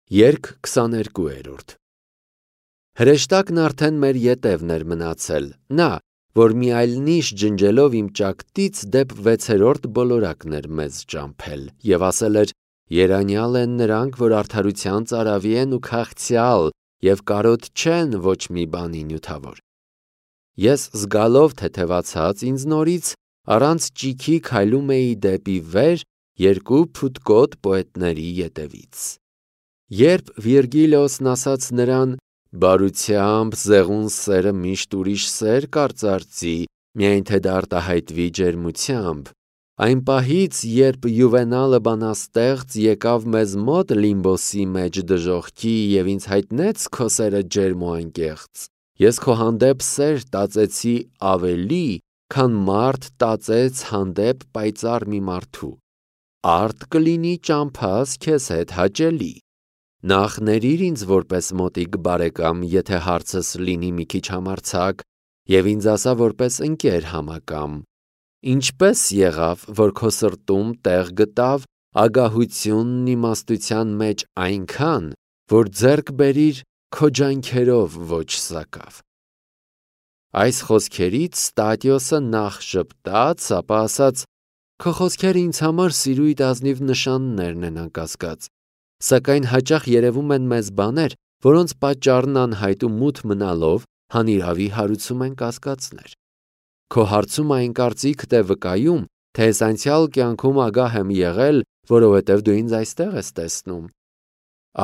Երգ 22 Հրեշտակն արդեն մեր ետևն էր մնացել, նա, որ մի այլ նիշ ջնջելով իմ ճակտից դեպ 6-րդ բոլորակն էր մեզ ճամփել և ասել էր. երանյալ են նրանք, որ արդարության ծարավի են ու քաղցյալ և կարոտ չեն ոչ մի բանի նյութավոր։ Ես զգալով թեթևացած ինձ նորից առանց ճիքի քայլում էի դեպի վեր երկու փութկոտ պոետների ետևից։ Երբ Վիրգիլիոսն ասաց նրան. «Բարությամբ զեղուն սերը միշտ ուրիշ սեր կարծարծի, միայն թե դա արտահայտվի ջերմությամբ», այն պահից, երբ Յուվենալը բանաստեղծ եկավ մեզ մոտ Լիմբոսի մեջ դժոխքի և ինձ հայտնեց քո սերը ջերմ ու անկեղծ, ես քո հանդեպ սեր տածեցի ավելի, քան մարդ տածեց հանդեպ պայծառ մի մարդու։ Արդ կլինի ճամփաս քեզ հետ հաճելի։ Նախ ներիր ինձ որպես մոտիկ բարեկամ, եթե հարցս լինի մի քիչ համարձակ, և ինձ ասա որպես ընկեր համակամ. ինչպես եղավ, որ քո սրտում տեղ գտավ ագահությունն իմաստության մեջ այնքան, որ ձեռք բերիր քո ջանքերով ոչ սակավ։ Այս խոսքերից Ստատիոսը նախ ժպտաց, ապա ասաց. քո խոսքերը ինձ համար սիրույթ ազնիվ նշաններն են անկասկած, սակայն հաճախ երևում են մեզ բաներ, որոնց պատճառն անհայտ ու մութ մնալով հանիրավի հարուցում են կասկածներ։ Քո հարցում այն կարծիքդ է վկայում, թե ես անցյալ կյանքում ագահ եմ եղել, որովհետև դու ինձ այստեղ ես տեսնում։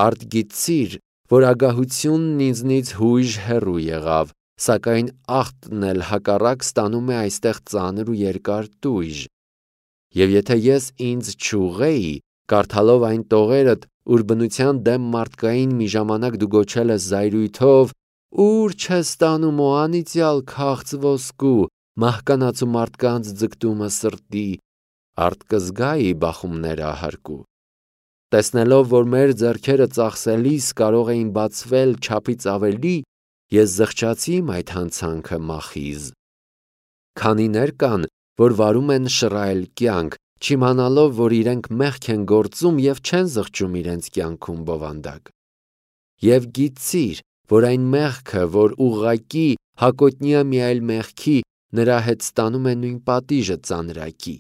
Արդ գիտցիր, որ ագահությունն ինձնից հույժ հեռու եղավ, սակայն աղտն էլ հակառակ ստանում է այստեղ ծանր ու երկար տույժ։ Եվ եթե ես ինձ չուղղեի, կարդալով այն տողերդ, ուր բնության դեմ մարդկային մի ժամանակ դու գոչել ես զայրույթով. «Ո՞ւր չես տանում օ անիծյալ քաղց ոսկու, մահկանացու մարդկանց ձգտումը սրտի», արդ կզգայի բախումներ ահարկու։ Տեսնելով, որ մեր ձեռքերը ծախսելիս կարող էին բացվել չափից ավելի, ես զղջացի իմ այդ հանցանքը մախիզ։ Քանիներ կան, որ վարում են շռայլ կյանք, չիմանալով, որ իրենք մեղք են գործում և չեն զղջում իրենց կյանքում բովանդակ։ Եվ գիտցիր, որ այն մեղքը, որ ուղղակի հակոտնյա մի այլ մեղքի, նրա հետ ստանում է նույն պատիժը ծանրակի։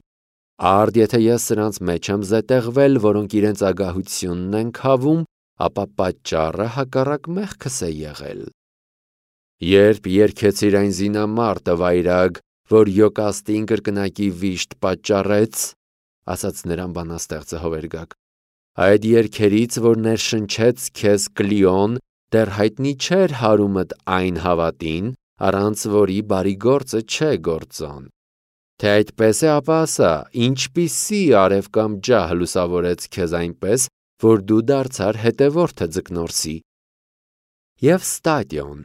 Արդ եթե ես սրանց մեջ եմ զետեղվել, որոնք իրենց ագահությունն են քավում, ապա պատճառը հակառակ մեղքս է եղել։ Երբ երգեցիր այն զինամարտը վայրագ, որ Յոկաստին կրկնակի վիշտ պատճառեց, ասաց նրան բանաստեղծը Հովերգակ, այդ երգերից, որ ներշնչեց քեզ Կլիոն, դեռ հայտնի չէր հարումդ այն հավատին, առանց որի բարի գործը չէ գործոն։ Թե այդպես է, ապա ասա, ինչպիսի արև կամ ջահ լուսավորեց քեզ այնպես, որ դու դարձար հետևորդը ձկնորսի։ Եվ Ստատիոն,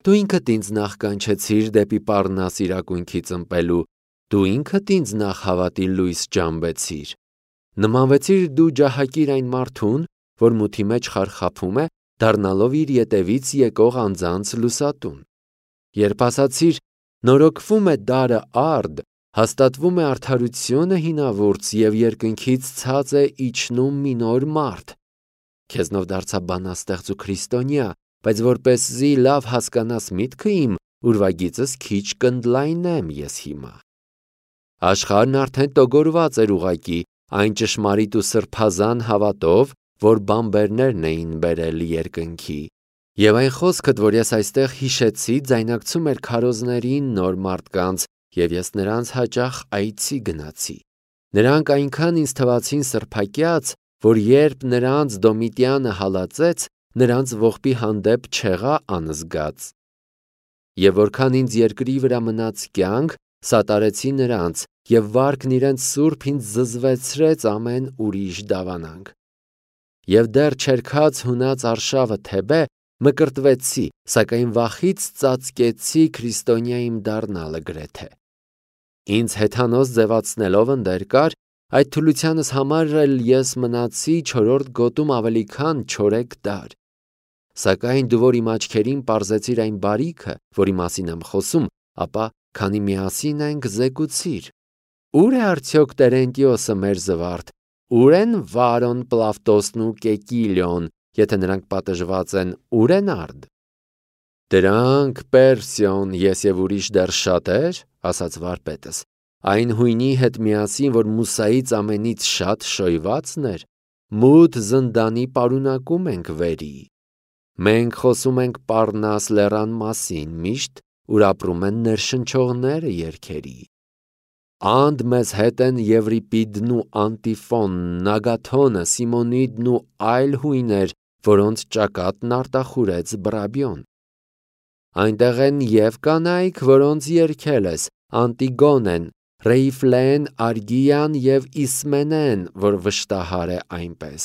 դու ինքդ ինձ նախ կանչեցիր դեպի Պառնաս իրակունքից ըմպելու, դու ինքդ ինձ նախ հավատի լույս ջամբեցիր։ Նմանվեցիր դու ջահակիր այն մարդուն, որ մութի մեջ խարխափում է, դառնալով իր ետևից եկող անձանց լուսատուն։ Երբ ասացիր. նորոգվում է դարը արդ, հաստատվում է արդարությունը հինավուրց և երկնքից ցած է իջնում մի նոր մարդ, քեզնով դարձա բանաստեղծ ու քրիստոնյա, բայց որպեսզի լավ հասկանաս միտքը իմ, ուրվագիծս քիչ կընդլայնեմ ես հիմա։ Աշխարհն արդեն տոգորված էր ուղղակի այն ճշմարիտ ու սրբազան հավատով, որ բանբերներն էին բերել երկնքի։ Եվ այն խոսքդ, որ ես այստեղ հիշեցի, ձայնակցում էր քարոզներին նոր մարդկանց, և ես նրանց հաճախ այցի գնացի։ Նրանք այնքան ինձ թվացին սրբակյաց, որ երբ նրանց Դոմիտյանը հալածեց, նրանց ողբի հանդեպ չեղա անզգաց։ Եվ որքան ինձ երկրի վրա մնաց կյանք, սատարեցի նրանց, և վարքն իրենց սուրբ ինձ զզվեցրեց ամեն ուրիշ դավանանք։ Եվ դեռ չերքած հունած արշավը Թեբե մկրտվեցի, սակայն վախից ծածկեցի քրիստոնյա իմ դառնալը գրեթե։ Ինձ հեթանոս ձևացնելով ընդեր կար, այդ թուլությանս համար էլ ես մնացի չորրորդ գոտում ավելի քան 4 դար։ Սակայն դու որ իմ աչքերին պարզեցիր այն բարիքը, որի մասին եմ խոսում, ապա քանի միասին ենք զեկուցիր. Ուր է արդյոք Տերենտիոսը մեր զվարթ, ուր են Վարոն Պլավտոսն ու Կեկիլիոն եթե նրանք պատժված են, ուր են արդ։ Դրանք Պերսիոն, ես և ուրիշ դեռ շատեր, ասաց վարպետս, այն հույնի հետ միասին, որ Մուսայից ամենից շատ շոյվածն էր, մութ զնդանի պարունակում ենք վերի։ Մենք խոսում ենք Պառնաս լեռան մասին միշտ, ուր ապրում են ներշնչողները երգերի։ Անդ մեզ հետ են Եվրիպիդն ու Անտիֆոնն, Ագաթոնը, Սիմոնիդն ու այլ հույներ, որոնց ճակատն արտախուրեց Բրաբիոն։ Այնտեղ են և կանայք, որոնց երգել ես, Անտիգոնեն, Ռեիֆլեն, Արգիան և Իսմենեն, որ վշտահար է այնպես։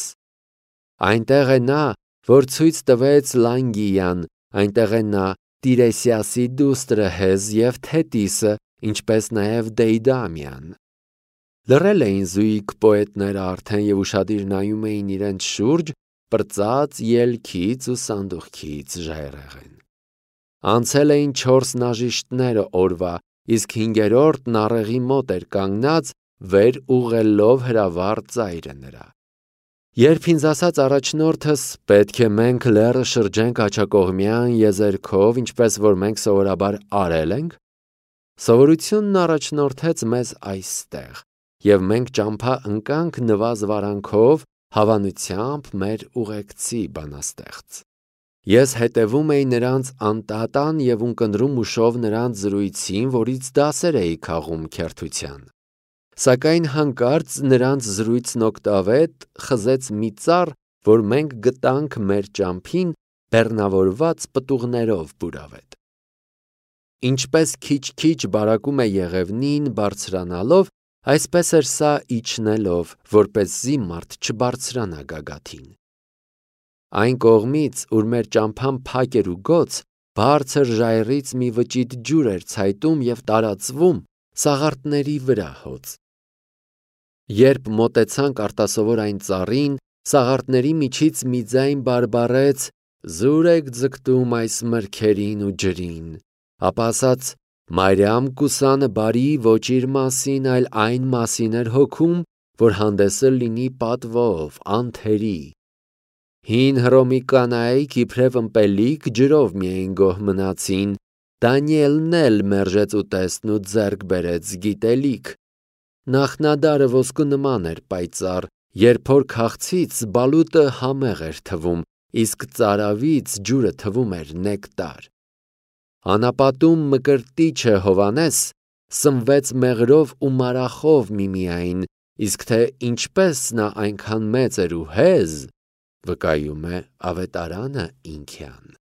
Այնտեղ է նա, որ ցույց տվեց Լանգիան, այնտեղ է նա Տիրեսիասի դուստրը Հեզ և Թետիսը, ինչպես նաև Դեյդամյան։ Լռել էին զույգ պոետները արդեն և ուշադիր նայում էին իրենց շուրջ, պրծած ելքից ու սանդուղքից ժայռերին։ Անցել էին 4 նաժիշտները օրվա, իսկ 5-րդն առեղի մոտ էր կանգնած, վեր ուղղելով հրավառ ծայրը նրա։ Երբ ինձ ասաց առաջնորդս, պետք է մենք լեռը շրջենք աջակողմյան եզերքով, ինչպես որ մենք սովորաբար արել ենք, սովորությունն առաջնորդեց մեզ այստեղ, և մենք ճամփա ընկանք նվազ-վարանքով, հավանությամբ մեր ուղեկցի բանաստեղծ։ Ես հետևում էի նրանց անտատան և ունկնդրում ուշով նրանց զրույցին, որից դասեր էի քաղում քերթության։ Սակայն հանկարծ նրանց զրույցն օգտավետ խզեց մի ծառ, որ մենք գտանք մեր ճամփին բեռնավորված պտուղներով բուրավետ։ Ինչպես քիչ-քիչ բարակում է եղևնին բարձրանալով, այսպես էր սա իջնելով, որպեսզի մարդ չբարձրանա գագաթին։ Այն կողմից, ուր մեր ճամփան փակ էր ու գոց, բարձր ժայռից մի վճիտ ջուր էր ցայտում և տարածվում սաղարթների վրա հոծ։ Երբ մոտեցանք արտասովոր այն ծառին, սաղարթների միջից մի ձայն բարբառեց. «Զուր եք ձգտում այս մրգերին ու ջրին», ապա ասաց. «Մարիամ կուսանը բարի ոչ իր մասին, այլ այն մասին էր հոգում, որ հանդեսը լինի պատվով, անթերի»։ Հին Հռոմի կանայք իբրև ըմպելիք ջրով միայն գոհ մնացին, Դանիելն էլ մերժեց ուտեստն ու ձեռք բերեց գիտելիք։ Նախնադարը ոսկու նման էր պայծառ, երբ որ քաղցից բալուտը համեղ էր թվում, իսկ ծարավից ջուրը թվում էր նեկտար։ Անապատում Մկրտիչը Հովհաննես սնվեց մեղրով ու մարախով միմիայն, իսկ թե ինչպես նա այնքան մեծ էր ու հեզ, վկայում է Ավետարանը ինքյան։